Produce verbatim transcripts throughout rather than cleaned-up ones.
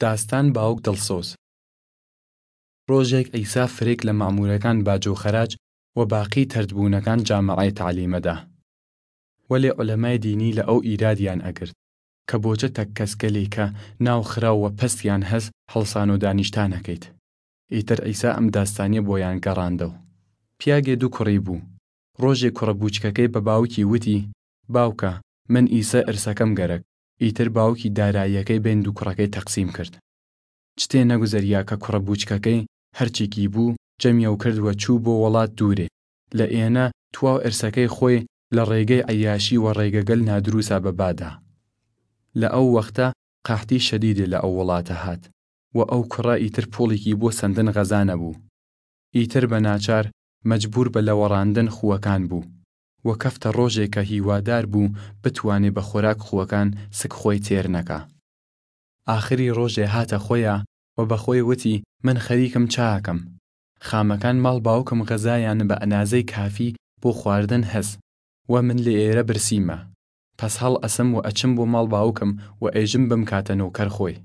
داستان باوگ دڵسۆز. ڕۆژێگ عیسا فرێگ لە مەئموورەکان باج و خەراج و باقی تەردبوونەکان جامەعەی تەعلیمە دا. وەلێ عولەمای دینی لە ئەو ئیرادیان ئەگرد کە بۆچە تەک کەسگەلێ کە ناو خراو و پەستیان هەس هەڵسان و دانیشتانەکەیت. ئیتر عیسا ئەم داستانیە بۆیان گەڕاندەو. پیاگێ دوو کوڕی بوو. ڕۆژێ کوڕە بووچکەکەی بە باوکی وتی، باوکە، من ئیسە ئرسەکەم گەرەک. ئیتر باوکی داراییەکەی بەین دوو کوڕەکەی تەقسیم کرد. چتێ نەگوزەریا کە کوڕە بووچکەکەی هەرچیکی بوو جەمیەو کرد و چوو بۆ وەڵات دوورێ. لە ئێنە تواو ئرسەکەی خوەی لە ڕێگەی عەیاشی و ڕێگەگەل نادروسا بە با دا. لە ئەو وەختە قەحتی شەدیدێ لە ئەو وڵاتە هات و ئەو کوڕە ئیتر پوڵیکی بۆ سەندن غەزا نەبوو. ئیتر بە ناچار مەجبوور بە لەوەڕاندن خوەکان بوو و کەفتە ڕۆژێ کە هیوادار بوو بتوانێ بە خوەراک خوەکان سک خوەی تێر نەکا. ئاخری ڕۆژێ هاتە خوەیا و بە خوەی وتی، من خەریکم چاکەم. خامەکان ماڵ باوکم غەزایان بە ئەنازەی کافی بۆ خواردن هەس و من لە ئێرە برسیمە. پەس هەڵ ئەسم و ئەچم بۆ ماڵ باوکم و ئێژم بمکاتە نۆکەر خوەی.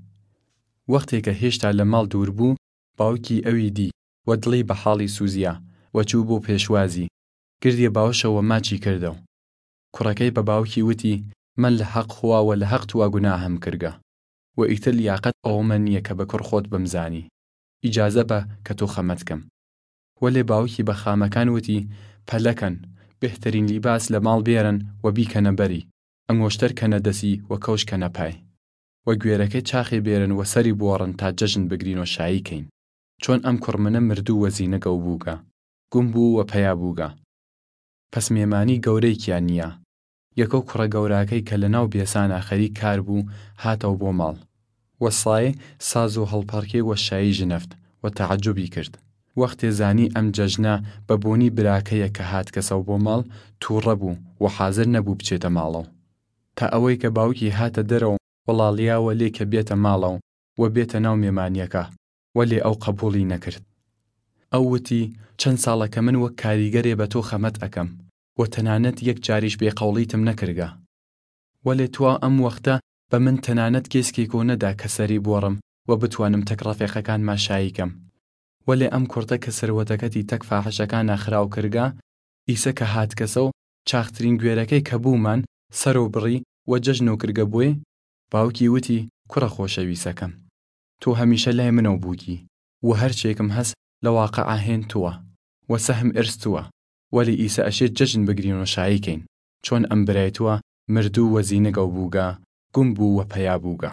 وەختێ کە هێشتا لە ماڵ دوور بوو، باوکی ئەوی دی و دڵی بە حاڵی سووزیا و چوو بۆ پێشوازی، گردیە باوشە و ماچی کردەو. کوڕەکەی بە باوکی وتی، من لە حەق خوا و لە حەق توا گوناهم کرگە و ئیتر لیاقەت ئەومە نییە کە بە کوڕ خوەت بمزانی. ئیجازە بە کە تۆ خەمەت کەم. وەلێ باوکی بە خامەکان وتی، پەلەکەن، بهترین لیباس لە ماڵ بێرن و بیکەنە بەری، ئەنگۆشتەر کەنە دەسی و کەوش کەنە پای. و گوێرەکەی چاخێ بێرن و سەری بوەڕن تا جەژن بگرین و شایی کەین. چۆن ئەم کوڕمنە مردوو و زینگەو بووگە، گوم بوو و پەیا بووگە. پەس مێمانی گەورەیکیان نییە. یەکەو کوڕە گەوراکەی کە لەناو بێسانا خەریک کار بوو، هاتەو بۆ ماڵ. و سایێ ساز و هەڵپەڕکێ و شایی ژنەفت و تەعەجوبی کرد. وەختێ زانی ئەم جەژنە بە بۆنی براکەیە کە هاتکەسەو بۆ ماڵ، تووڕە بوو و حازر نەبوو بچێتە ماڵەو. تا ئەوەی کە باوکی هاتە دەرەو وەڵاڵیاوە لێ کە بێتە ماڵەو و بێتە ناو مێمانیەکە، وەلێ ئەو قەبووڵی نەکرد. ئەو وتی، چەن ساڵە کە من وەک کاریگەرێ بە تۆ خەمەت ئەکەم و تەنانەت یەک جاریش بێ قەوڵیتم نەکرگە. وەلێ تواو ئەم وەختە بە من تەنانەت کێسکێکۆ نەدا کە سەری بوەڕم و بتوانم تەک ڕەفێقەکانما شایی کەم. وەلێ ئەم کوڕتە کە سروەتەکەتی تەک فاحشەکانا خراو کرگە، ئیسە کە هاتکەسەو چاخترین گوێرەکەی کە بوومان سەرەو بڕی و جەژنۆ کرگە بوێ. باوکی وتی، کوڕە خۆشەویسەکەم، تۆ هەمیشە لای منەو بووگی و هەرچێکم هەس لە واقعا هێن تووە و سەهم ئرس تووە. وەلی ئیسە ئەشێ جەژن بگرین و شایی کەین، چۆن ئەم برای تووە مردوو و زینگەو بووگە، گوم بوو و پەیا بووگە.